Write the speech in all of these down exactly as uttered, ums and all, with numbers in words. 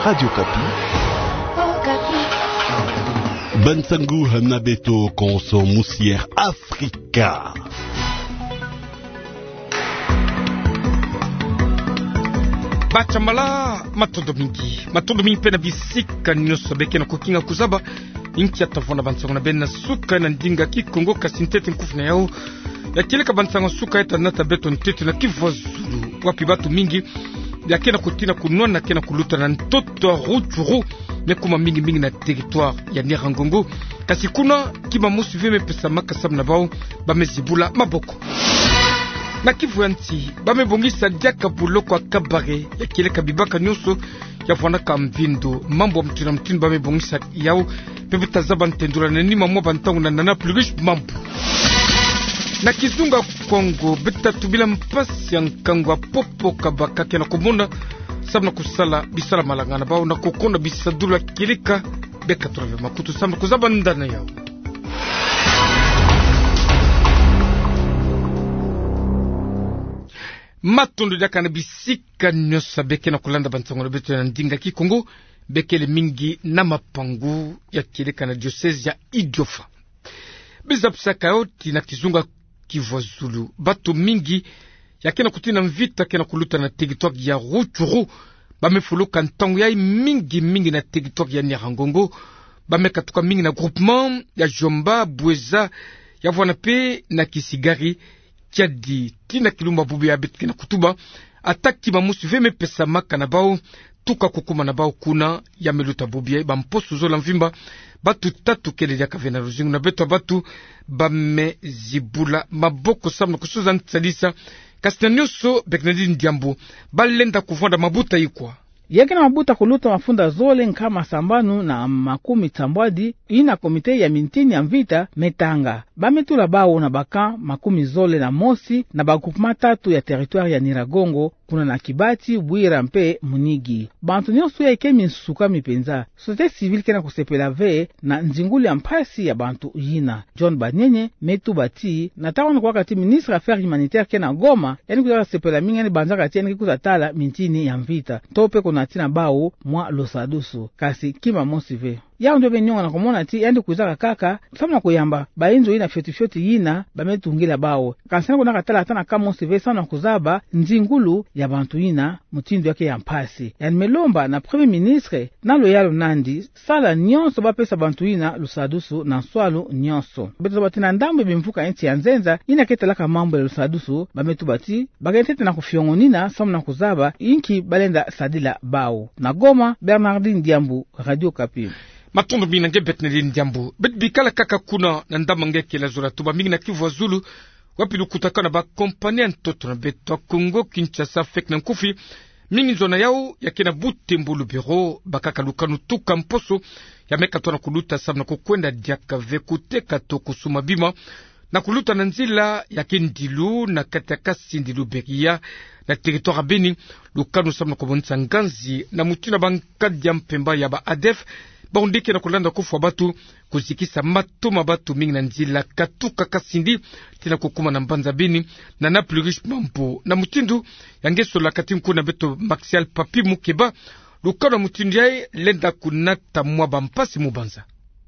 Radio Okapi. Ba nsangu hana beto konso musier Afrika. Batsambala, matondo mingi. Matondo mingi mpe na bisika nyonso beke na kokinga kozaba. Inki ya tavona ba nsangu na beno na suka na ndinga Kikongo, kasi ntete nkufi na yau ya kieleka ba nsangu ya suka, ita nata beto ntete na Kivu ya Zulu, wapi batu mingi ya ke na kotina kunwana, ke na kuluta na ntoto ya Rutshuru, me kuma mingi mingi na territoire ya Nyiragongo. Kasi kuna, kima mosi ve me pesamaka samu na bau ba me zibula maboko. Na Kivu ya Nsi, ba me bongisa diaka boloko ya kabare ya kieleka bibaka nyonso ya vwanaka mvindo. Mambu ya mutindu na mutindu ba me bongisa yau, mpe beta zaba ntendula na nima mwa ba ntangu na Nana Plurish Mambu. Na kizunga Kongo, beta tubila mpasi ya nkangu ya popo kabaka ke na komona samu na kosala bisalu-malanga na bau na kokonda bisadulu ya kieleka. Beka tula ve makutu samu na kozaba ndani na yau. Matondo diaka na bisika nyonso beke na kolanda ba nsangu na beto na ndinga Kikongo, bekele mingi na mapangu ya kieleka na diocèse ya Idiofa. Beza pisaka yo ti na kizunga Kivu ya Zulu, batu mingi ya ke na kotina mvita ke na koluta na territoire ya Rutshuru, ba me fuluka ntangu yai mingi mingi na territoire ya Nyiragongo. Ba me katuka mingi na groupement ya Djomba, Boueza, ya vwana mpe na Kisigari, Kiadi, tina kilumbu bubu ya beto ke na kotuba. Ata kima mosi ve me pesamaka na bau, tuka kukuma na bau kuna, ya me luta bubu ya ba mposo zola mvimba. Batu tatu kele diaka ve na luzingu na beto ya batu ba me zibula maboko samu na kosuza nsalisa. Kasi na nyonso, Bernardine Diambu, ba lenda kuvwanda mabuta ikwa? Ya ke na mabuta koluta mafunda zole nkama sambanu na makumi sambwadi, ina comité ya mintini ya mvita me tanga. Ba me tula bau na ba camp makumi zole na mosi na ba groupement tatu ya territoire ya Nyiragongo, kuna na Kibati, Bwira mpe Munigi. Bantu nyonso yai ke minsuka mi mpenza. Société civile ke na kosepela ve na nzingulu ya mpasi ya bantu yina. John Banyenye me tuba ti, na ntangu wana kuwaka ti ministre affaires humanitaires ke na Goma, yandi kwiza kasepela mingi, yandi banzaka ti yandi ke kwiza tala mintini ya mvita, to mpe kunatina bau mwa lusadusu. Kasi kima mosi ve. Yau nde me nionga na komona ti yandi kwizaka kaka samu na koyamba ba inzo yina fioti fioti yina ba me tungila bau. Kansi yandi kwendaka tala ata na camp mosi ve samu na kozaba nzingulu ya bantu yina mutindu ya ke ya mpasi. Yandi me lomba na Premier Ministre na luyalu na yandi, sala nyonso ba pesa bantu yina lusadusu na nswalu nyonso. Beto zaba ti na ndambu ya bimvuka ya insi ya nzenza yina ke talaka mambu ya lusadusu, ba me tuba ti ba ke ntete na kofiongonina samu na kozaba inki ba lenda sadila bau. Na Goma, Bernardine Diambu, Radio Okapi. Matondo mingi na nge Bernardine Diambu. Beto bikala kaka kuna na ndambu nge kele zola tuba mingi na Kivu ya Zulu, wapi lukutakanu ya ba compagnie ya ntoto na beto ya Kongo Kinshasa feke na nkufi. Mingi nzo na yau ya ke na Butembo, Lubero, bakaka lukanu tuka mposo ya me katuka na koluta samu na kokwenda diaka ve koteka to kosumba bima na koluta na nzila ya ke ndilu na kati ya Kasindi Luberia na territoire ya Beni. Lukanu samu na komonisa nganzi na mutindu ya ba nkadi ya mpemba ya ba ADF, bau nde ke na kolanda kofwa batu, kozikisa mato ma batu mingi na nzila katuka Kasindi tii na kokuma na mbanza Beni. Nana Plurish Mambu, na mutindu ya nge sola kati nku na beto Maxial Papi Mukeba, lukanu ya mutindu yai lenda kunata mwa ba mpasi mu banza.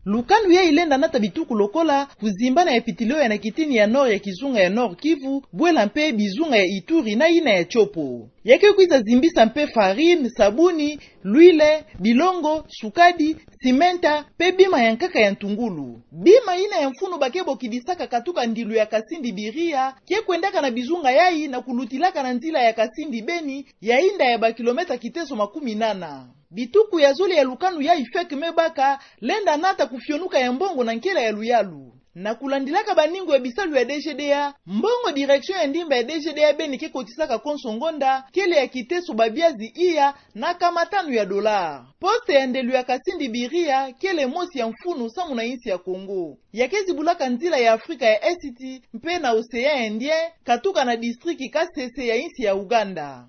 Lukanu yai lenda nata bituku lokola kozimbana ya pitilio ya na kitini ya nord ya kizunga ya Nord-Kivu, bwela mpe bizunga ya Ituri na yina ya Tshopo. Ya ke kwiza zimbisa mpe farine, sabuni, l'huile, bilongo, sukadi, simenta, mpe bima ya nkaka ya ntungulu. Bima yina ya mfunu ba ke bokidisaka katuka ndilu ya Kasindi-Biria ke kwendaka na bizunga yai na kulutilaka na nzila ya Kasindi-Beni, ya yinda ya ba kilomètre kiteso makumi nana. Bituku ya zole ya lukanu yai feke me baka lenda nata kofionuka ya mbongo na nkela ya luyalu. Na kolandilaka baningo ya bisalu ya DGDA, mbongo direction ya ndimba ya DGDA Beni ke kotisaka konso ngonda kele ya kiteso babiazi iya na nkama tanu ya dollars. Poste ya ndelo ya Kasindi-Biria kele mosi ya mfunu samu na insi ya Kongo. Ya ke zibulaka nzila ya Afrika ya Est mpe na Océan Indien, katuka na district Kasese ya insi ya Ouganda.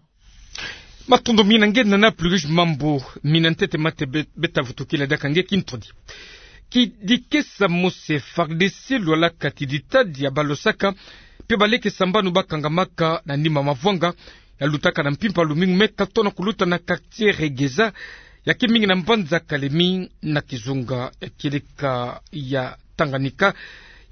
Matondo mingi na nge Nana Plurish Mambu. Mina ntete mate be-, beta vutukila diaka nge kintodi. Kidikesa mosi ya FARDC lwalaka ti ditadi ya balosaka mpe baleke sambanu bakangamaka na nima mavwanga ya lutaka na mpimpa lumingu me katuka na koluta na quartier Regeza ya ke mingi na mbanza Kalemi na kizunga ya kieleka ya Tanganyika,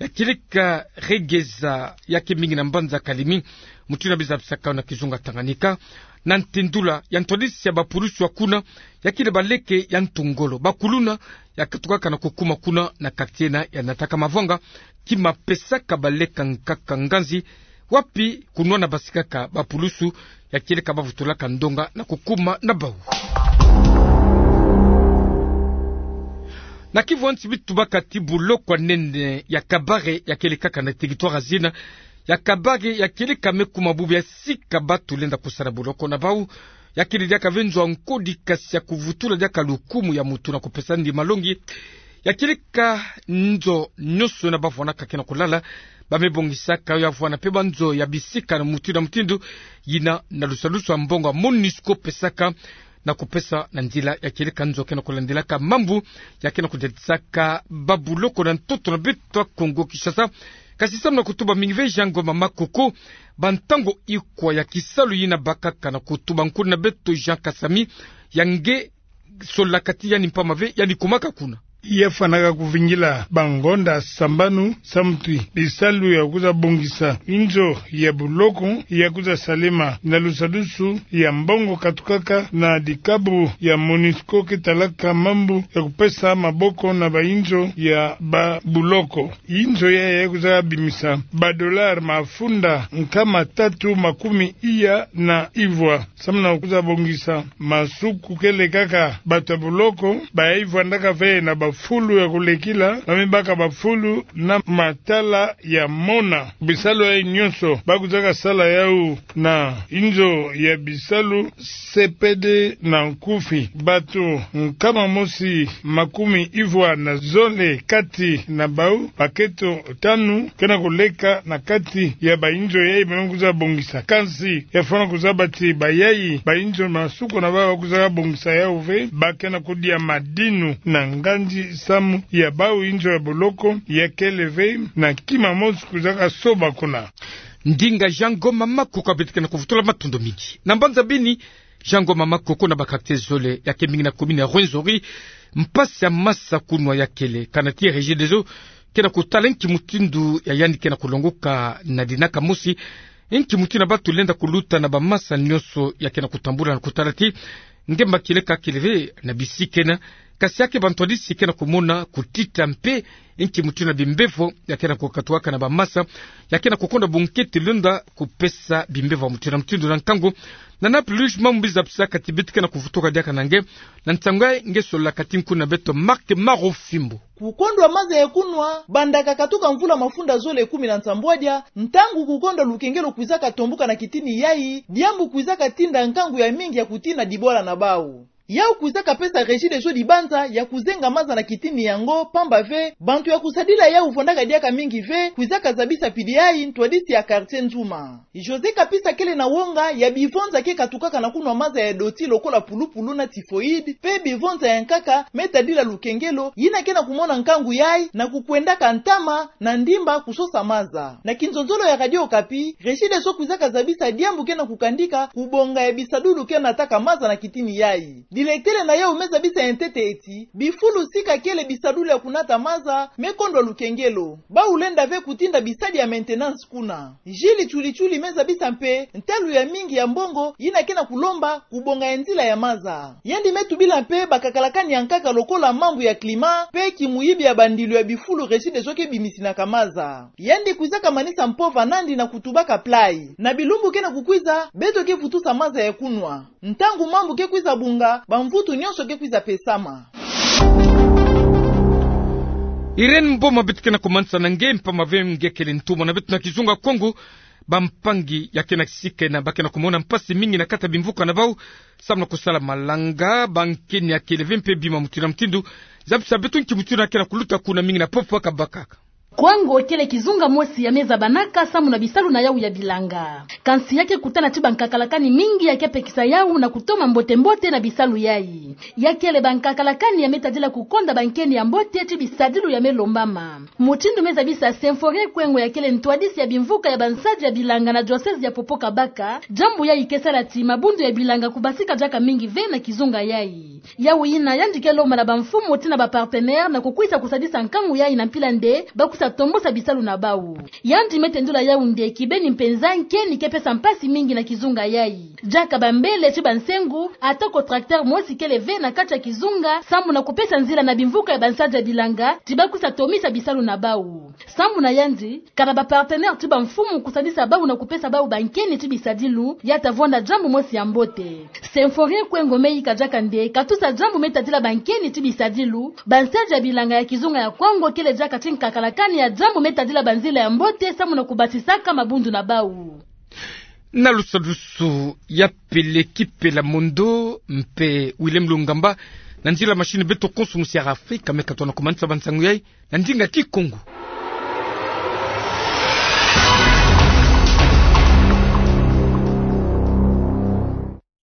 ya kieleka Regeza, ya ke mingi na mbanza Kalemi, mutindu bie zabisaka na kizunga Tanganyika, na ntindula ya ntwadisi ya bapulusu ya kuna, ya kele baleke ya ntu ngolo, bakuluna, ya katukaka na kukuma kuna na quartier na ya nataka mavwanga, ki mapesaka baleka nkaka nganzi, wapi kunwana basikaka bapulusu, ya kieleka bavutulaka ndonga na kukuma na bau. Na Kivu ya nsi bitubaka ti buloko ya nene ya Kabare ya kieleka kaka na territoire zina ya Kabare ya kieleka me kuma bubu ya sika batu lenda kusala buloko na bau. Ya kele diaka ve nzo ya nkodi kasi ya kuvutula diaka lukumu ya mutu na kupesa ndi malongi. Ya kieleka nzo nyonso na bavwanaka ke na kulala, ba me bongisaka yo ya vwana mpe banzo ya bisika na mutindu na mutindu, yina na lusalusu ya mbongo ya MONUSCO pesaka na kupesa na nzila ya kieleka nzo ke na kulandilaka mambu ya ke na kudadisaka babuloko na ntoto na beto ya Kongo Kinshasa. Kasi samu na kutuba mingi ve Jean Ngoma Makoko, bantango ikwa ya kisalu yina bakaka na kutuba nkuna na beto Jean Kasami, ya nge solaka ti yandi mpamba ve yandi kumaka kuna. Ya fwanaka kuvingila bangonda sambanu samu ti bisalu ya kwiza bongisa inzo ya buloko ya kwiza salema na lusalusu ya mbongo katukaka na dikabu ya MONUSCO ke talaka mambu ya kupesa maboko na bainzo ya babuloko. Inzo ya ya kwiza bimisa badolari mafunda nkama tatu makumi iya na ivwa. Samu na kwiza bongisa masuku ke lekaka bato ya buloko, ba ya ivwandaka ve na bafulu ya kulekila, ba me baka bafulu na matala ya mona. Bisalu yayi nyonso ba kwizaka sala yawu na inzo ya bisalu C P D na nkufi. Bato nkama mosi makumi ivwa na zole kati na bau, bakento tanu ke na kuleka na kati ya bainzo yayi ba me kwiza bongisa. Kansi ya fwana kuzaba ti bayayi bainzo masuku na bau ba kwizaka bongisa yawu ve, ba ke na kudia madinu na nganzi samu ya bau inzo ya buloko ya kele ve na kima mosi kwizaka soba kuna. Ndinga Jean Ngoma Makoko, beto ke na kuvutula matondo mingi. Na mbanza Beni, Jean Ngoma Makoko, na ba quartier zole ya ke mingi na commune ya Rwenzori, mpasi ya masa kunwa ya kele. Kana ti Regideso ke na kutala nki mutindu ya yandi ke na kulongoka na dinaka mosi, nki mutindu ya batu lenda kuluta na bamasa nyonso ya ke na kutambula na kutala ti ngemba kieleka kele ve na bisika ena, kasi ya ke bantwadisi ke na kumona kutita mpe nki mutindu na bimbevo ya ke na kukatukaka na bamasa, ya ke na kukonda bunkete lenda kupesa bimbevo ya mutindu na mutindu na nkangu. Na Nord Plus, mambu mbi zabisaka ti beto ke na kuvutuka diaka na nge na ntangu yayi, nge solaka ti nkuna na beto Marc Marofimbo. Kukondwa maza ya kunwa, banda kakatuka mvula mafunda zole kumi na nsambwadia, ntangu kukondwa lukengelo kwizaka tombuka na kitini yayi, diambu kwizaka tinda nkangu ya mingi ya kutina dibwala na bau. Yawu kwizaka pesa Regideso dibanza ya kuzenga maza na kitini yango, pamba ve bantu ya kusadila yawu vwandaka diaka mingi ve, kwizaka zabisa pidi yayi ntwadisi ya quartier Nzuma. José Kapisa kele na wonga ya bivonza ke katukaka na kunwa maza ya doti lokola pulupulu na typhoïde, mpe bivonza ya nkaka me tadila lukengelo, yina ke na kumona nkangu yayi na kukwendaka ntama na ndimba kusosa maza. Na kinzonzolo ya Radio Okapi, Regideso kwizaka zabisa diambu ke na kukandika kubonga ya bisadulu ke nataka maza na kitini yayi. Directeur na yawu me zabisa ya ntete ti bifulu sika kele bisadulu ya kunata maza me kondwa lukengelo. Bau lenda ve kutinda bisadi ya maintenance kuna. Jules Tchuli Tchuli me zabisa mpe ntalu ya mingi ya mbongo yina ke na kulomba kubonga ya nzila ya maza. Yandi me tubila mpe bakakalakani ya nkaka lokola mambu ya climat mpe kimuyibi ya bandilu ya bifulu Regideso ke bimisinaka maza. Yandi kwizaka manisa mpova nandi na kutubaka play. Na bilumbu ke na kukwiza, beto ke vutusa maza ya kunwa. Ntangu mambu ke kwiza bunga, bamvutu nyonso ke kwiza pesama. Irène Mboma, beto ke na kumanisa na nge mpamba ve nge kele ntumwa na beto na kizunga Kongo. Bampangi ya ke na sika ena ba ke na kumona mpasi mingi na kati ya bimvuka na bau, samu na kusala malanga, bankeni ya kele ve mpe bima mutindu na mutindu. Zabisa beto nki mutindu ya ke na kuluta kuna, mingi na Popo Kabaka. Kongo kele kizunga mosi ya me zabanaka samu na bisalu na yawu ya bilanga. Kansi ya ke kutana ti bankakalakani mingi ya ke pekisa yawu na kutoma mbote-mbote na bisalu yayi. Ya kele bankakalakani ya me tadila kukonda bankeni ya mbote ti bisadilu ya me lombama. Mutindu me zabisa Symphorien Kwengo, ya kele ntwadisi ya bimvuka ya bansadi ya bilanga na diocèse ya Popo Kabaka, diambu yayi ke sala ti mabundu ya bilanga kubasika diaka mingi ve na kizunga yayi. Yau yina yandi ke lomba na bamfumu tina bapartenaire na kukwisa kusadisa nkangu yayi na mpila nde bakwiza tombosa bisalu na bau. Yandi me tendula yau nde kibeni mpenza nkeni ke pesa mpasi mingi na kizunga yayi. Diaka bambele ti bansengu, ata ko tracteur mosi kele ve na kati ya kizunga, sambu na kupesa nzila na bimvuka ya bansadi ya bilanga ti bakwiza tomisa bisalu na bau. Sambu na yandi, kana bapartenaire ti bamfumu kusadisa bau na kupesa bau bankeni ti bisadilu, ya ta vwanda diambu mosi ya mbote. Symphorien Kwengo me yika diaka nde katusa diambu me tadila bankeni ti bisadilu, bansadi ya bilanga ya kizunga ya Kongo kele diaka ti nkakalakani ya diambu me tadila banzila ya mbote sambu na kubasisaka mabundu na bau. Na lusadusu ya Pele Kipela Mondo mpe Willem Lungamba, na nzila machine, beto konso musi ya Afrika me katona kumanisa bansangu yayi na ndinga Kikongo.